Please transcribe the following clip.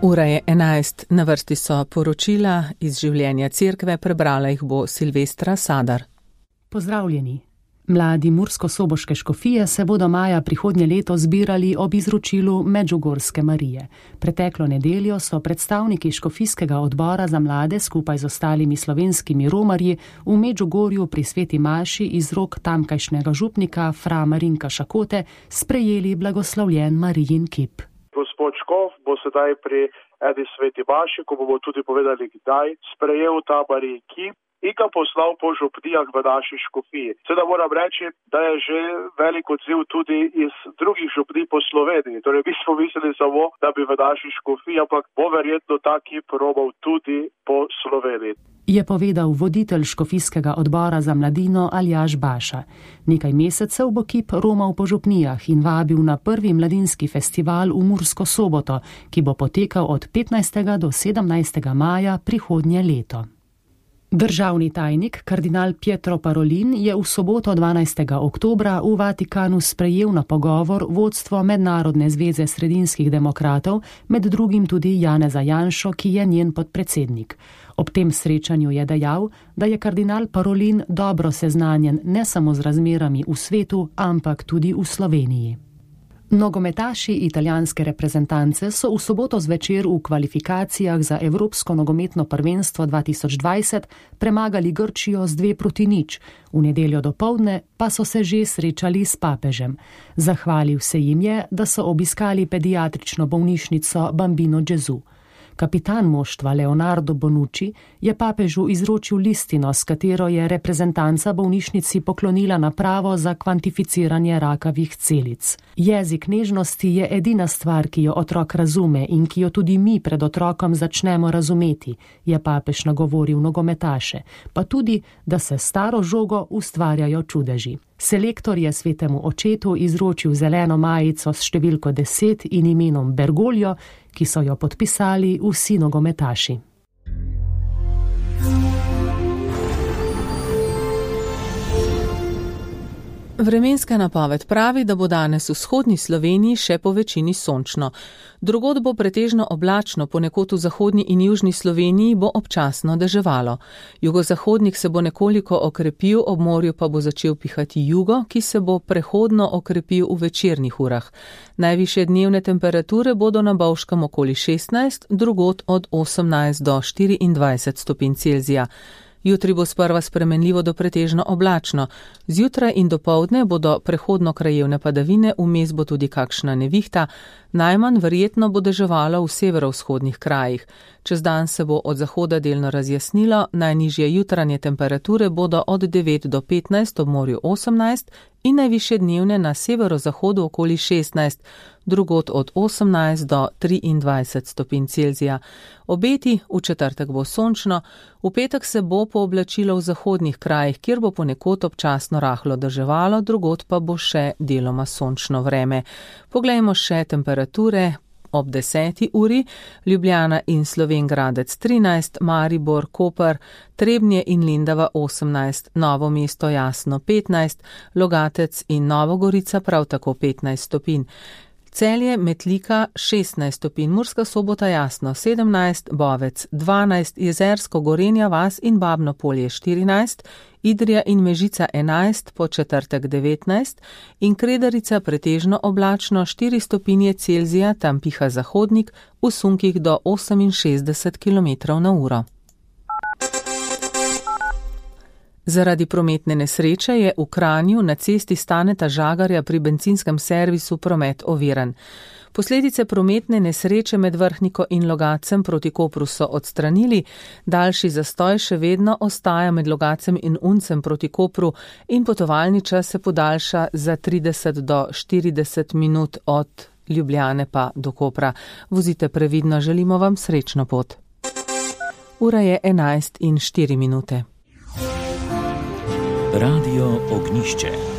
Ura je 11, na vrsti so poročila iz življenja cerkve, prebrala jih bo Silvestra Sadar. Pozdravljeni. Mladi mursko-soboške škofije se bodo maja prihodnje leto zbirali ob izročilu Medžugorske Marije. Preteklo nedeljo so predstavniki škofijskega odbora za mlade skupaj z ostalimi slovenskimi romarji v Medžugorju pri sveti maši iz rok tamkajšnjega župnika fra Marinka Šakote sprejeli blagoslovljen Marijin kip. Gospod Škof bo sedaj pri eni sveti maši, ko bomo tudi povedali kdaj, sprejel ta Marijin kip in ga poslal po župnijah v naši škofiji. Seveda moram reči, da je že velik odziv tudi iz drugih župnij po Sloveniji. Torej, mi smo mislili samo, da bi v naši škofiji, ampak bo verjetno ta kip romal tudi po Sloveniji. Je povedal voditelj škofijskega odbora za mladino Aljaž Baša. Nekaj mesecev bo kip romal po župnijah in vabil na prvi mladinski festival v Mursko Soboto, ki bo potekal od 15. do 17. maja prihodnje leto. Državni tajnik, kardinal Pietro Parolin, je v soboto 12. oktobra v Vatikanu sprejel na pogovor vodstvo Mednarodne zveze sredinskih demokratov, med drugim tudi Janeza Janšo, ki je njen podpredsednik. Ob tem srečanju je dejal, da je kardinal Parolin dobro seznanjen ne samo z razmerami v svetu, ampak tudi v Sloveniji. Nogometaši italijanske reprezentance so v soboto zvečer v kvalifikacijah za Evropsko nogometno prvenstvo 2020 premagali Grčijo z 2-0, v nedeljo dopoldne pa so se že srečali s papežem. Zahvalil se jim je, da so obiskali pediatrično bolnišnico Bambino Gesù. Kapitan moštva Leonardo Bonucci je papežu izročil listino, s katero je reprezentanca bolnišnici poklonila napravo za kvantificiranje rakavih celic. Jezik nežnosti je edina stvar, ki jo otrok razume in ki jo tudi mi pred otrokom začnemo razumeti, je papež nagovoril nogometaše, pa tudi, da se staro žogo ustvarjajo čudeži. Selektor je svetemu očetu izročil zeleno majico s številko 10 in imenom Bergoglio, ki so jo podpisali vsi nogometaši. Vremenska napoved pravi, da bo danes v vzhodni Sloveniji še po večini sončno. Drugod bo pretežno oblačno, ponekod v zahodni in južni Sloveniji bo občasno deževalo. Jugozahodnik se bo nekoliko okrepil, ob morju pa bo začel pihati jugo, ki se bo prehodno okrepil v večernih urah. Najvišje dnevne temperature bodo na Bovškem okoli 16, drugod od 18 do 24 stopinj Celzija. Jutri bo sprva spremenljivo do pretežno oblačno. Zjutraj in dopoldne bodo prehodno krajevne padavine, vmes bo tudi kakšna nevihta, najmanj verjetno bo deževalo v severovzhodnih krajih. Čez dan se bo od zahoda delno razjasnilo, najnižje jutranje temperature bodo od 9 do 15, ob morju 18 in najvišje dnevne na severozahodu okoli 16, drugod od 18 do 23 stopinj Celzija. Obeti, v četrtek bo sončno, v petek se bo pooblačilo v zahodnih krajih, kjer bo ponekod občasno rahlo deževalo, drugod pa bo še deloma sončno vreme. Poglejmo še temperature. Ob 10. uri Ljubljana in Slovenj Gradec 13, Maribor, Koper, Trebnje in Lendava 18, Novo mesto Jasno 15, Logatec in Nova Gorica prav tako 15 stopinj. Celje, Metlika 16 stopinj, Murska Sobota Jasno 17, Bovec 12, Jezersko, Gorenja vas in Babno Polje 14, Idrija in Mežica 11, po četrtek 19 in Kredarica pretežno oblačno 4 stopinje Celzija, tam piha zahodnik, v sunkih do 68 km/h. Zaradi prometne nesreče je v Kranju na cesti Staneta Žagarja pri bencinskem servisu promet oviran. Posledice prometne nesreče med Vrhniko in Logatcem proti Kopru so odstranili, daljši zastoj še vedno ostaja med Logatcem in Uncem proti Kopru in potovalni čas se podaljša za 30 do 40 minut od Ljubljane pa do Kopra. Vozite previdno, želimo vam srečno pot. Ura je 11:04. Radio Ognišče.